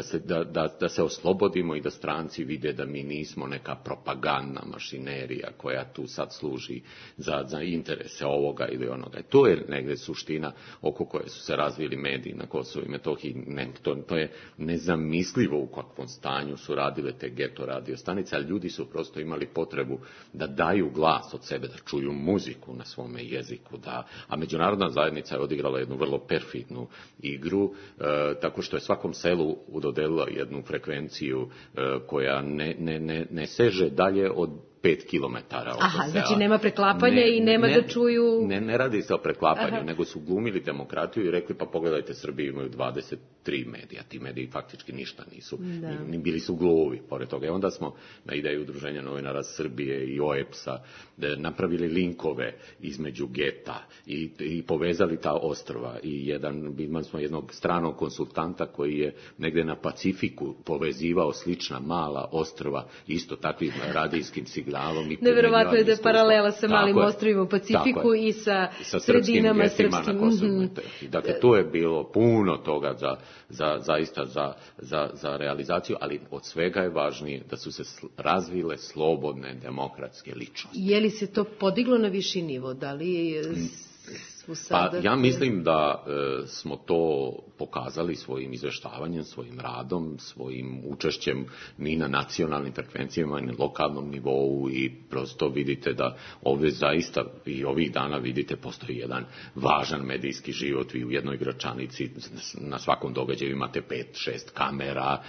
da se oslobodimo i da stranci vide da mi nismo neka propagandna mašinerija koja tu sad služi za interese ovoga ili onoga. To je negdje suština oko koje su se razvili mediji na Kosovu i Metohiji. To je nezamislivo u kakvom stanju su radile te geto radio stanice, ali ljudi su prosto imali potrebu da daju glas od sebe, da čuju muziku na svome jeziku, a međunarodna zajednica je odigrala jednu vrlo perfidnu igru, tako što je svakom selu dodelila jednu frekvenciju koja ne seže dalje od 5 kilometara oko sela. Znači nema preklapanja i nema da čuju... Ne radi se o preklapanju, nego su glumili demokratiju i rekli, pa pogledajte, Srbiji imaju 23 medija. Ti mediji faktički ništa nisu. Ni bili su gluvi, pored toga. I onda smo na ideju Udruženja novinara Srbije i OEPS-a napravili linkove između geta i povezali ta ostrva. I imali smo jednog stranog konsultanta koji je negde na Pacifiku povezivao slična mala ostrva isto takvim radijskim signalom. Neverovatno je da je paralela sa malim ostrvima u Pacifiku i sa sredinama srpskim. Dakle, to je bilo puno toga zaista za realizaciju, ali od svega je važnije da su se razvile slobodne demokratske ličnosti. Je li se to podiglo na viši nivo? Da li Pa ja mislim da smo to pokazali svojim izveštavanjem, svojim radom, svojim učešćem ni na nacionalnim frekvencijama, ni na lokalnom nivou i prosto vidite da ovdje zaista i ovih dana vidite postoji jedan važan medijski život. Vi u jednoj Gračanici na svakom događaju imate 5-6 kamera,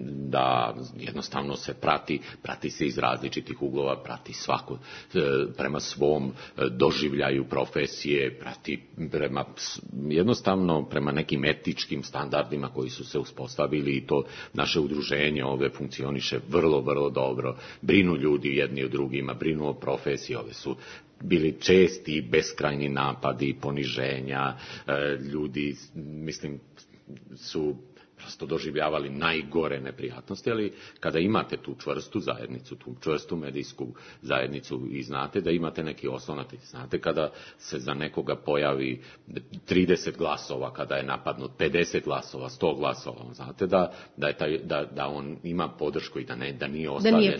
da jednostavno se prati se iz različitih uglova, prati svako prema svom doživljaju profesije, prati jednostavno prema nekim etičkim standardima koji su se uspostavili i to naše udruženje ovdje funkcioniše vrlo, vrlo dobro. Brinu ljudi jedni o drugima, brinu o profesiji, ovdje su bili česti beskrajni napadi, poniženja, ljudi, mislim, su prosto doživljavali najgore neprijatnosti, ali kada imate tu čvrstu zajednicu, tu čvrstu medijsku zajednicu i znate da imate neki oslonac, znate kada se za nekoga pojavi 30 glasova, kada je napadnut 50 glasova, 100 glasova, znate da on ima podršku i da nije ostavljen,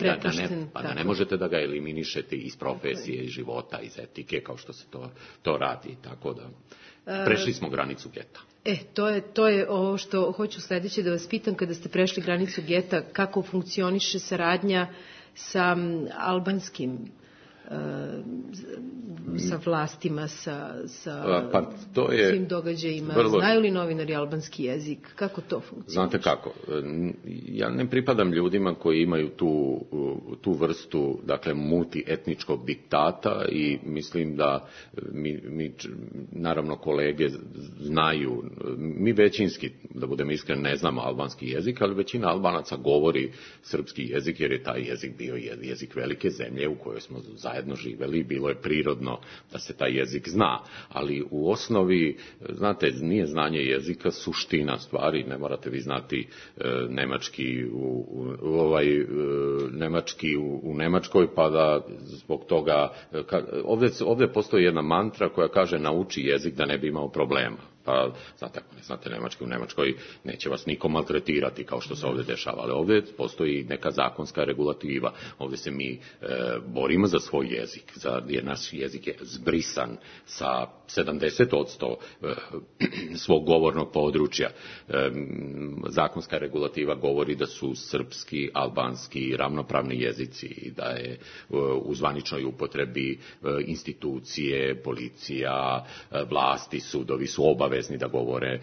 da ne možete da ga eliminišete iz profesije, iz života, iz etike, kao što se to radi, tako da Prešli smo granicu geta. To je ovo što hoću sledeće da vas pitam. Kada ste prešli granicu geta, kako funkcioniše saradnja sa albanskim sa vlastima, sa svim događajima? Znaju li novinari albanski jezik? Kako to funkcioniše? Znate kako, ja ne pripadam ljudima koji imaju tu vrstu, dakle, multietničkog diktata i mislim da mi naravno kolege znaju, mi većinski, da budem iskren, ne znamo albanski jezik, ali većina Albanaca govori srpski jezik jer je taj jezik bio jezik velike zemlje u kojoj smo zajedno živeli, bilo je prirodno da se taj jezik zna, ali u osnovi, znate, nije znanje jezika suština stvari, ne morate vi znati nemački u Nemačkoj, pa da zbog toga, ovdje postoji jedna mantra koja kaže nauči jezik da ne bi imao problema. Pa, znate, ako ne znate nemački, u Nemačkoj neće vas niko maltretirati kao što se ovdje dešava, ali ovdje postoji neka zakonska regulativa. Ovdje se mi borimo za svoj jezik, jer naš jezik je zbrisan sa 70% svog govornog područja. Zakonska regulativa govori da su srpski, albanski ravnopravni jezici i da je u zvaničnoj upotrebi institucije, policija, vlasti, sudovi su obavezni da govore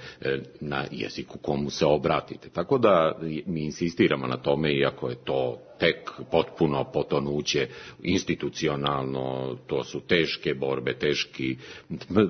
na jeziku komu se obratite. Tako da mi insistiramo na tome, iako je to tek potpuno potonuće institucionalno, to su teške borbe, teški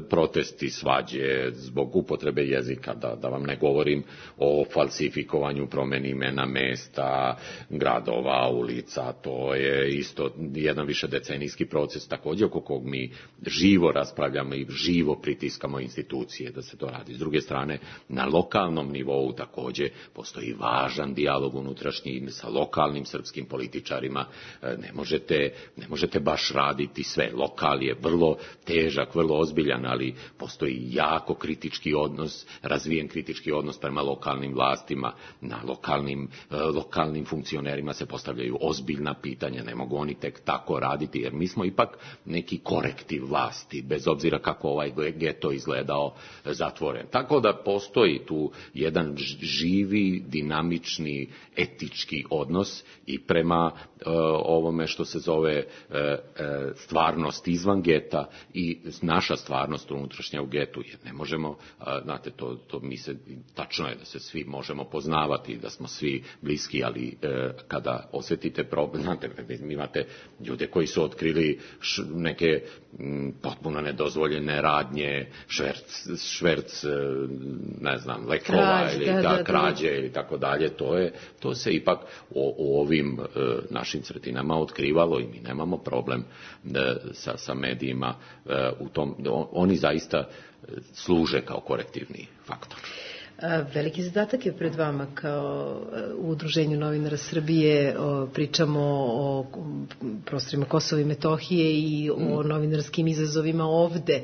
protesti, svađe zbog upotrebe jezika, da vam ne govorim o falsifikovanju promjeni imena mesta, gradova, ulica, to je isto jedan višedecenijski proces također oko kog mi živo raspravljamo i živo pritiskamo institucije da se to radi. S druge strane, na lokalnom nivou također postoji važan dijalog unutrašnji sa lokalnim srpskim političarima. Ne možete baš raditi sve. Lokal je vrlo težak, vrlo ozbiljan, ali postoji jako kritički odnos, razvijen kritički odnos prema lokalnim vlastima. Na lokalnim funkcionerima se postavljaju ozbiljna pitanja, ne mogu oni tek tako raditi, jer mi smo ipak neki korektiv vlasti, bez obzira kako ovaj geto izgledao zatvoren. Tako da postoji tu jedan živi, dinamični, etički odnos i prema ovome što se zove stvarnost izvan geta i naša stvarnost unutrašnja u getu. Jer ne možemo, znate, to mi se, tačno je da se svi možemo poznavati, da smo svi bliski, ali kada osjetite problem, znate, imate ljude koji su otkrili neke potpuno nedozvoljene radnje, šverc, ne znam, lekova ili krađe ili tako dalje, to se ipak u ovim našim sredinama otkrivalo i mi nemamo problem sa medijima u tom, oni zaista služe kao korektivni faktor. Veliki zadatak je pred vama kao u Udruženju novinara Srbije. Pričamo o prostorima Kosova i Metohije i o novinarskim izazovima ovde.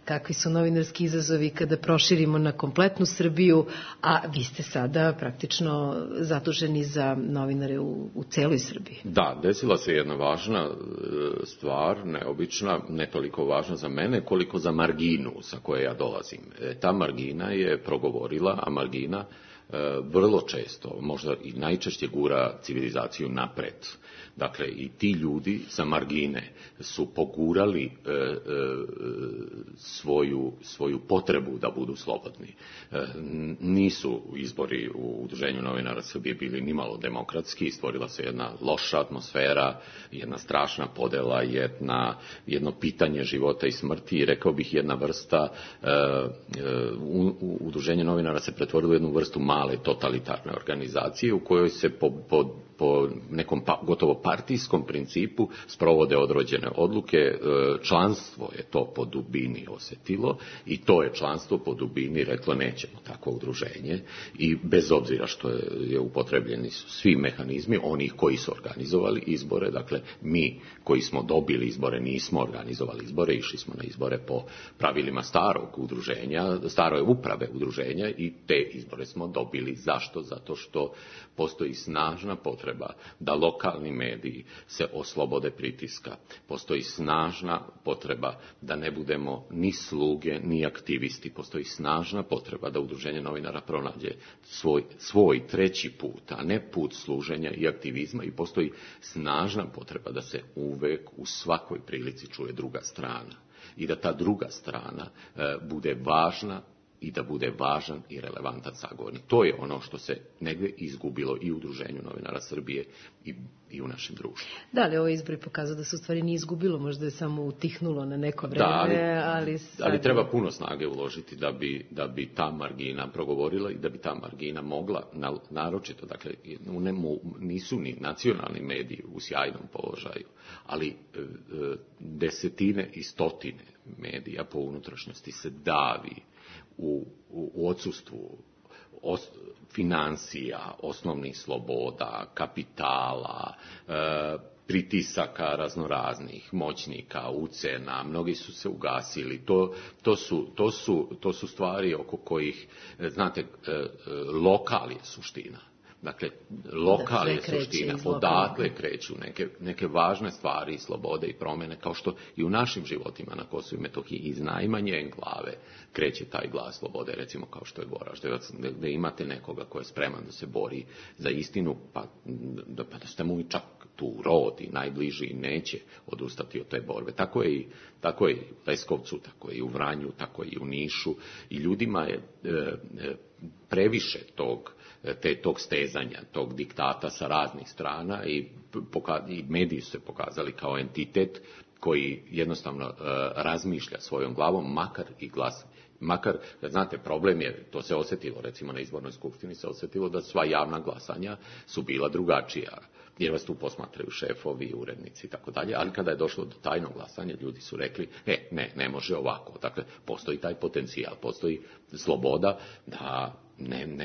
Kakvi su novinarski izazovi kada proširimo na kompletnu Srbiju, a vi ste sada praktično zaduženi za novinare u celoj Srbiji. Da, desila se jedna važna stvar, neobična, ne toliko važna za mene, koliko za marginu sa koje ja dolazim. Ta margina je progovorila, a margina vrlo često, možda i najčešće gura civilizaciju napred. Dakle, i ti ljudi sa margine su pogurali svoju potrebu da budu slobodni. Nisu izbori u Udruženju novinara Srbije bili nimalo demokratski, stvorila se jedna loša atmosfera, jedna strašna podela, jedno pitanje života i smrti i rekao bih jedna vrsta, Udruženje novinara se pretvorilo u jednu vrstu male totalitarne organizacije u kojoj se po nekom gotovo partijskom principu sprovode određene odluke. Članstvo je to po dubini osjetilo i to je članstvo po dubini reklo nećemo takvo udruženje i bez obzira što je upotrebljeni su svi mehanizmi onih koji su organizovali izbore, dakle mi koji smo dobili izbore nismo organizovali izbore, išli smo na izbore po pravilima starog udruženja, stare uprave udruženja i te izbore smo dobili. Zašto? Zato što postoji snažna potreba potreba da lokalni mediji se oslobode pritiska. Postoji snažna potreba da ne budemo ni sluge, ni aktivisti. Postoji snažna potreba da Udruženje novinara pronađe svoj treći put, a ne put služenja i aktivizma, i postoji snažna potreba da se uvek u svakoj prilici čuje druga strana i da ta druga strana bude važna i da bude važan i relevantan sagovornik. To je ono što se negde izgubilo i u Udruženju novinara Srbije i u našem društvu. Da, ali ovo izbori pokazao da se u stvari nije izgubilo, možda je samo utihnulo na neko vreme, ali treba puno snage uložiti da bi ta margina progovorila i da bi ta margina mogla, naročito, dakle, nisu ni nacionalni mediji u sjajnom položaju, ali desetine i stotine medija po unutrašnjosti se davi u odsustvu financija, osnovnih sloboda, kapitala, pritisaka raznoraznih, moćnika, ucena, mnogi su se ugasili. To su stvari oko kojih, znate, lokal je suština. Dakle, lokal je suština, odatle kreću neke važne stvari, slobode i promjene, kao što i u našim životima na Kosovu i Metohiji iz najmanje enklave kreće taj glas slobode, recimo kao što je Goraždevac, gde imate nekoga ko je spreman da se bori za istinu, pa da ste mu i čak tu rod i najbliži i neće odustati od te borbe. Tako je i u Leskovcu, tako je i u Vranju, tako je i u Nišu, i ljudima je previše tog stezanja, tog diktata sa raznih strana, i mediji su se pokazali kao entitet koji jednostavno razmišlja svojom glavom, makar, znate, problem je, to se osjetilo, recimo na izbornoj skupštini se osjetilo da sva javna glasanja su bila drugačija, jer vas tu posmatraju šefovi, urednici i tako dalje, ali kada je došlo do tajnog glasanja, ljudi su rekli, ne može ovako. Dakle, postoji taj potencijal, postoji sloboda da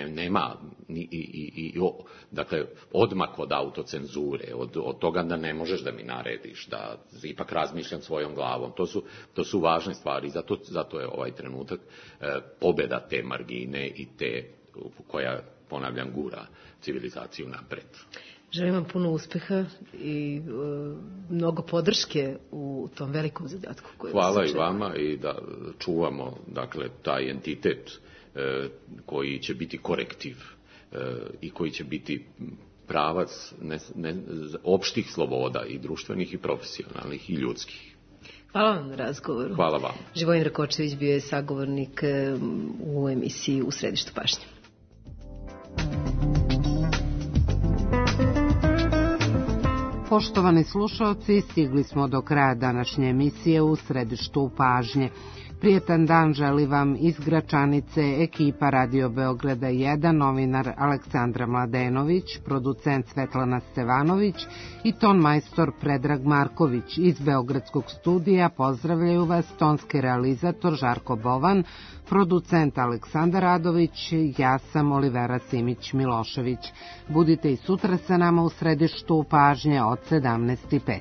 nema dakle, odmak od autocenzure, od toga da ne možeš da mi narediš, da ipak razmišljam svojom glavom. To su važne stvari, zato je ovaj trenutak pobjeda te margine i te koja, ponavljam, gura civilizaciju napred. Želim vam puno uspeha i mnogo podrške u tom velikom zadatku. Hvala i vama, i da čuvamo, dakle, taj entitet koji će biti korektiv i koji će biti pravac opštih sloboda, i društvenih i profesionalnih i ljudskih. Hvala vam na razgovoru. Hvala vam. Živojin Rakočević bio je sagovornik u emisiji U središtu pažnje. Poštovani slušalci, stigli smo do kraja današnje emisije U središtu pažnje. Prijetan dan želi vam iz Gračanice ekipa Radio Beograda 1, novinar Aleksandra Mladenović, producent Svetlana Stevanović i ton majstor Predrag Marković. Iz Beogradskog studija pozdravljaju vas tonski realizator Žarko Bovan, producent Aleksandar Radović, ja sam Olivera Simić-Milošević. Budite i sutra sa nama u središtu pažnje od 17:05.